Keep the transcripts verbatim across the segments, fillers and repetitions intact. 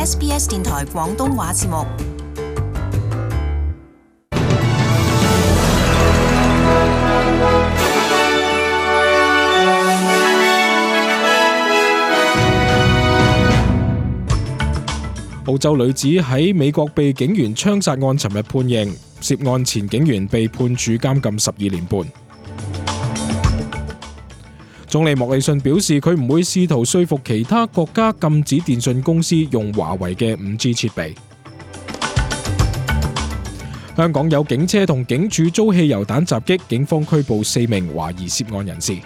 S B S 電台廣東話節目。澳洲女子喺美國被警員槍殺案尋日判刑，涉案前警員被判處監禁十二年半。總理莫里遜表示，佢唔會試圖說服其他國家禁止電信公司用華為嘅 五 G 設備。香港有警車同警署遭汽油彈襲擊，警方拘捕四名懷疑涉案人士。呢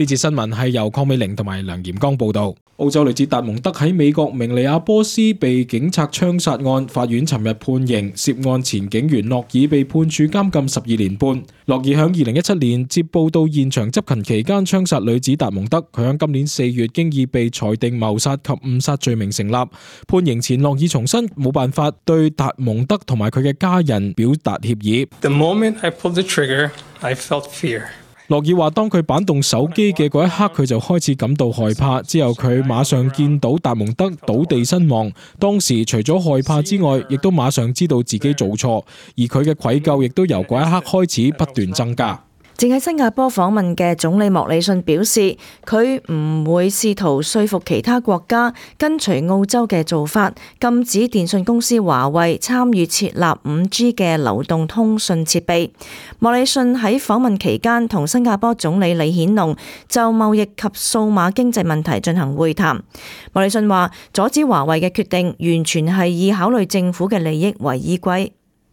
節新聞係由鄺美玲同埋梁炎剛報道。澳洲女子達蒙德喺美國明尼亞波斯被警察槍殺案，法院尋日判刑，涉案前警員諾爾被判處監禁十二年半。諾爾響二零一七年接報到現場執勤期間槍殺女子達蒙德，佢響今年四月經已被裁定謀殺及誤殺罪名成立。判刑前，諾爾重申冇辦法對達蒙德同埋佢嘅家人表達歉意。The moment I pulled the trigger, I felt fear. 諾爾話：當佢扳動手機嘅嗰一刻，佢就開始感到害怕。之後佢馬上見到達蒙德倒地身亡，當時除咗害怕之外，亦都馬上知道自己做錯，而佢嘅愧疚亦都由嗰一刻開始不斷增加。正喺新加坡訪問嘅總理莫里遜表示，佢唔會試圖說服其他國家跟隨澳洲嘅做法，禁止電信公司華為參與設立 五 G 嘅流動通訊設備。莫里遜喺訪問期間同新加坡總理李顯龍就貿易及數碼經濟問題進行會談。莫里遜話：阻止華為嘅決定完全係以考慮政府嘅利益為依歸。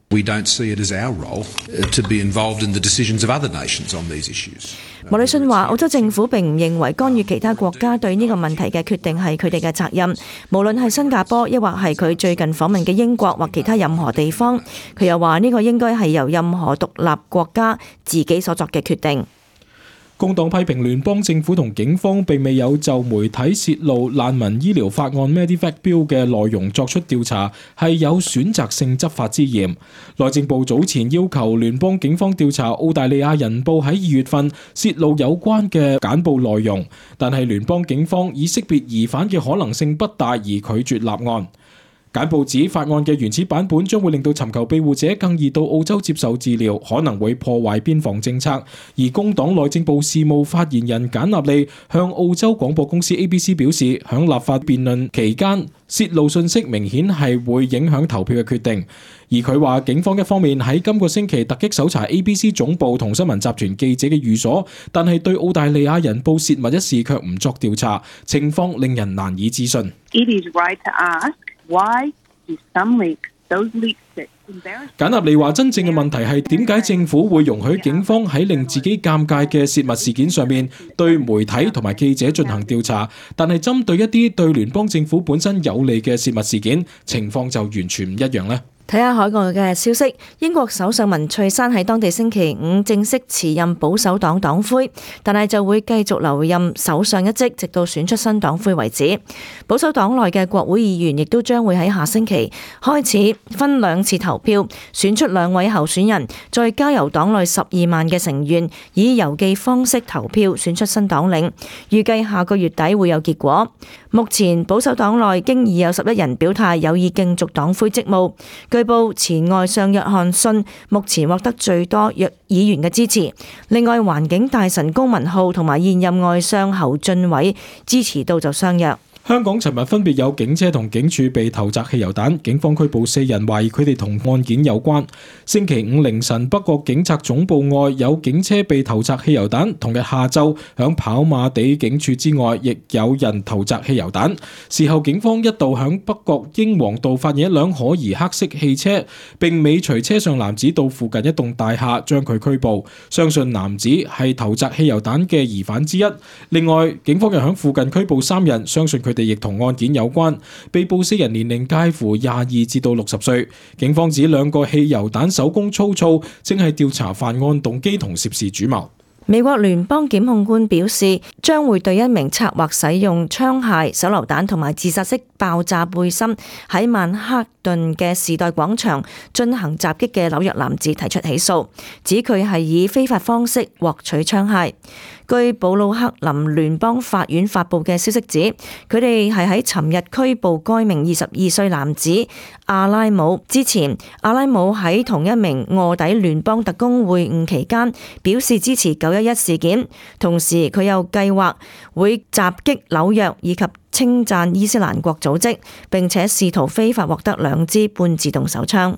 We don't see it as our role to be involved in the decisions of other nations on these issues. 莫里遜話：澳洲政府並唔認為干預其他國家對呢個問題嘅決定係佢哋嘅責任，無論係新加坡，抑或係佢最近訪問嘅英國或其他任何地方。佢又話呢個應該係由任何獨立國家自己所作嘅決定。工黨批評聯邦政府同警方並未有就媒體洩露難民醫療法案 Medivac Bill 嘅內容作出調查，係有選擇性執法之嫌。內政部早前要求聯邦警方調查澳大利亞人報喺二月份洩露有關嘅簡報內容，但係聯邦警方以識別疑犯嘅可能性不大而拒絕立案。簡報指法案嘅原始版本將會令到尋求庇護者更易到澳洲接受治療，可能會破壞邊防政策。而工黨內政部事務發言人簡納利向澳洲廣播公司 A B C 表示，響立法辯論期間洩露信息明顯係會影響投票嘅決定。而佢話警方一方面喺今個星期突擊搜查 A B C 總部同新聞集團記者嘅寓所，但係對澳大利亞人報洩密一事卻唔作調查，情況令人難以置信。It is right to ask why do some leaks, those leaks that embarrass. 簡納利話：真正嘅問題係點解政府會容許警方喺令自己尷尬嘅洩密事件上面對媒體同埋記者進行調查，但係針對一啲對聯邦政府本身有利嘅洩密事件，情況就完全唔一樣呢？睇下海外嘅消息，英國首相文翠珊喺當地星期五正式辭任保守黨黨魁，但係就會繼續留任首相一職，直到選出新黨魁為止。保守黨內嘅國會議員亦都將會喺下星期開始分兩次投票，選出兩位候選人，再交由黨內十二萬嘅成員以郵寄方式投票選出新黨領，預計下個月底會有結果。目前保守黨內經已有十一人表態有意競逐黨魁職務。據報前外相約翰遜目前獲得最多約議員嘅支持，另外環境大臣高文浩同埋現任外相侯俊偉支持度就相若。香港尋日分別有警車同警署被投擲汽油彈，警方拘捕四人，懷疑佢哋同案件有關。星期五凌晨，北角警察總部外有警車被投擲汽油彈，同日下晝響跑馬地警署之外亦有人投擲汽油彈。事後警方一度響北角英皇道發現一輛可疑黑色汽車，並尾隨車上男子到附近一棟大廈將佢拘捕，相信男子係投擲汽油彈嘅疑犯之一。另外，警方又響附近拘捕三人，相信佢哋亦同案件有關，被捕四人年齡介乎廿二至到六十歲。警方指兩個汽油彈手工粗糙，正係調查犯案動機同涉事主謀。美國聯邦檢控官表示，將會對一名策劃使用槍械、手榴彈同埋自殺式爆炸背心喺曼克頓嘅時代廣場進行襲擊嘅紐約男子提出起訴，指佢係以非法方式獲取槍械。據布魯克林聯邦法院發布嘅消息指，佢哋係喺尋日拘捕該名二十二歲男子阿拉姆。之前，阿拉姆喺同一名臥底聯邦特工會晤期間表示支持九一一事件，同時佢又計劃會襲擊紐約以及稱讚伊斯蘭國組織，並且試圖非法獲得兩支半自動手槍。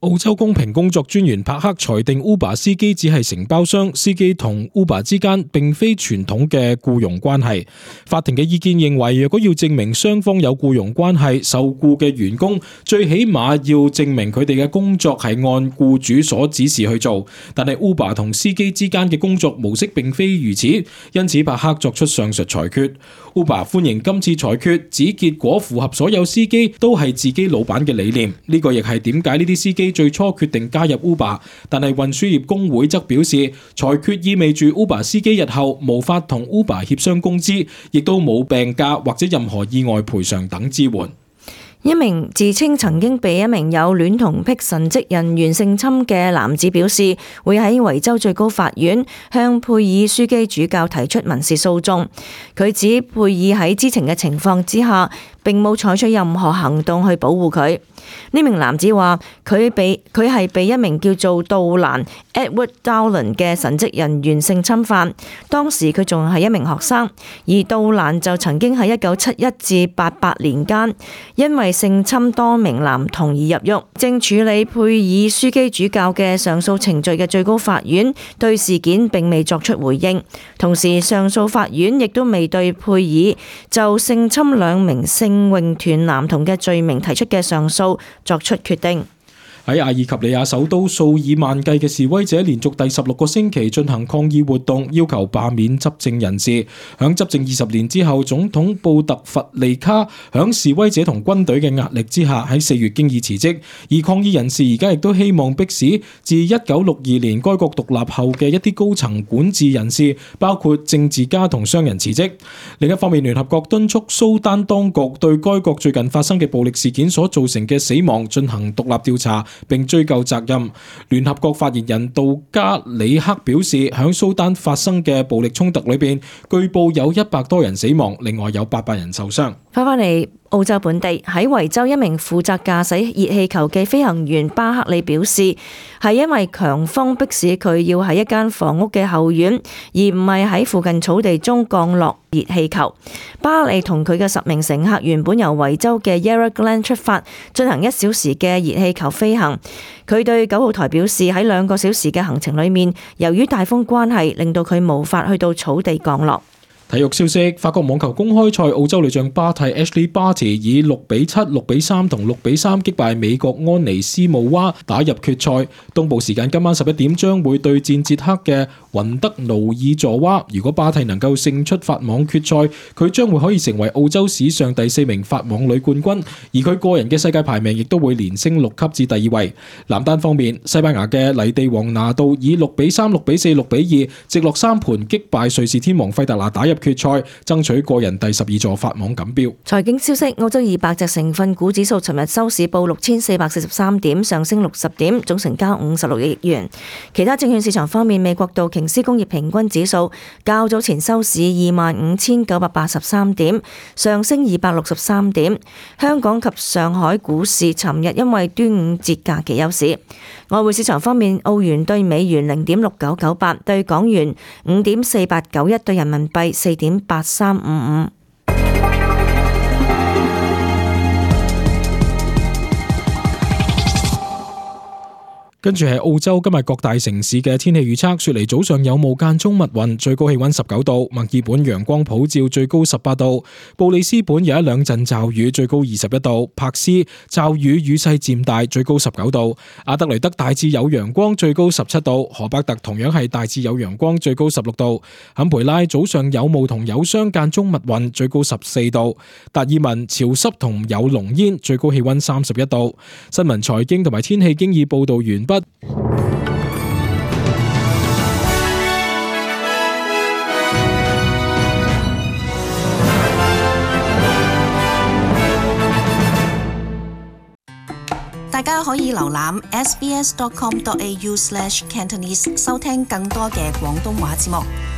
澳洲公平工作專員帕克裁定 Uber 司機只係承包商，司機同 Uber 之間並非傳統嘅僱傭關係。法庭嘅意見認為，若果要證明雙方有僱傭關係，受僱嘅員工最起碼要證明佢哋嘅工作係按僱主所指示去做。但係 Uber 同司機之間嘅工作模式並非如此，因此帕克作出上述裁決。Uber 歡迎今次裁決，指結果符合所有司機都係自己老闆嘅理念。呢個亦係點解呢啲司機最初決定加入 Uber， 但係運輸業工會則表示，裁決意味住 Uber 司機日後無法同 Uber 協商工資，亦都冇病假或者任何意外賠償等支援。一名自稱曾經被一名有戀童癖神職人員性侵嘅男子表示，會喺維州最高法院向佩爾樞機主教提出民事訴訟。佢指佩爾喺知情嘅情況之下，並冇採取任何行動去保護佢。呢名男子話，佢被佢係被一名叫做杜蘭 Edward Dowland 嘅神職人員性侵犯，當時佢仲係一名學生，而杜蘭就曾經喺一九七一至八八年間因為性侵多名男童而入獄。正處理佩爾樞機主教嘅上訴程序嘅最高法院對事件並未作出回應，同時上訴法院亦都未對佩爾就性侵兩名聖詠團男童嘅罪名提出嘅上訴作出決定。喺阿爾及利亞首都，數以萬計嘅示威者連續第十六個星期進行抗議活動，要求罷免執政人士。響執政二十年之後，總統布特弗利卡響示威者同軍隊嘅壓力之下，喺四月經已辭職。而抗議人士而家亦都希望迫使自一九六二年該國獨立後嘅一啲高層管治人士，包括政治家同商人辭職。另一方面，聯合國敦促蘇丹當局對該國最近發生嘅暴力事件所造成嘅死亡進行獨立調查，並追究責任。聯合國發言人杜加里克表示，響蘇丹發生嘅暴力衝突裏邊，據報有一百多人死亡，另外有八百人受傷。翻返嚟澳洲本地，喺維州一名負責駕駛熱氣球嘅飛行員巴克利表示，係因為強風迫使佢要喺一間房屋嘅後院，而唔係喺附近草地中降落熱氣球。巴克利同佢嘅十名乘客原本由維州嘅 Yarra Glen 出發，進行一小時嘅熱氣球飛行。佢對九號台表示，喺兩個小時嘅行程裏面，由於大風關係，令到佢無法去到草地降落。體育消息：法國網球公開賽，澳洲女將巴蒂 Ashley Barty 以六比七、六比三同六比三擊敗美國安妮斯姆娃，打入決賽。東部時間今晚十一點將會對戰捷克嘅雲德努爾佐娃。如果巴蒂能夠勝出法網決賽，佢將會可以成為澳洲史上第四名法網女冠軍，而佢個人嘅世界排名亦都會連升六級至第二位。男單方面，西班牙嘅泥地王拿度以六比三、六比四、六比二直落三盤擊敗瑞士天王費達拿，打入決賽，爭取個人第十二座法網錦標。財經消息：澳洲二百隻成分股指數尋日收市報六千四百四十三點，上升六十點，總成交五十六億元。其他證券市場方面，美國道瓊斯工業平均指數較早前收市二萬五千九百八十三點，上升二百六十三點。香港及上海股市尋日因為端午節假期休市。外匯市場方面，澳元對美元零點六九九八，對港元五點四八九一，對人民幣四點八三五五。跟住係澳洲今日各大城市嘅天氣預測。雪梨早上有霧間中密雲，最高氣溫十九度；墨爾本陽光普照，最高十八度；布里斯本有一兩陣驟雨，最高二十一度；柏斯驟雨雨勢漸大，最高十九度；阿德雷德大致有陽光，最高十七度；荷伯特同樣係大致有陽光，最高十六度；坎培拉早上有霧同有霜間中密雲，最高十四度；達爾文潮濕同有濃煙，最高氣溫三十一度。新聞財經同埋天氣經已報道完畢。大家可以瀏覽 s b s dot com dot a u slash cantonese 收聽更多嘅廣東話節目。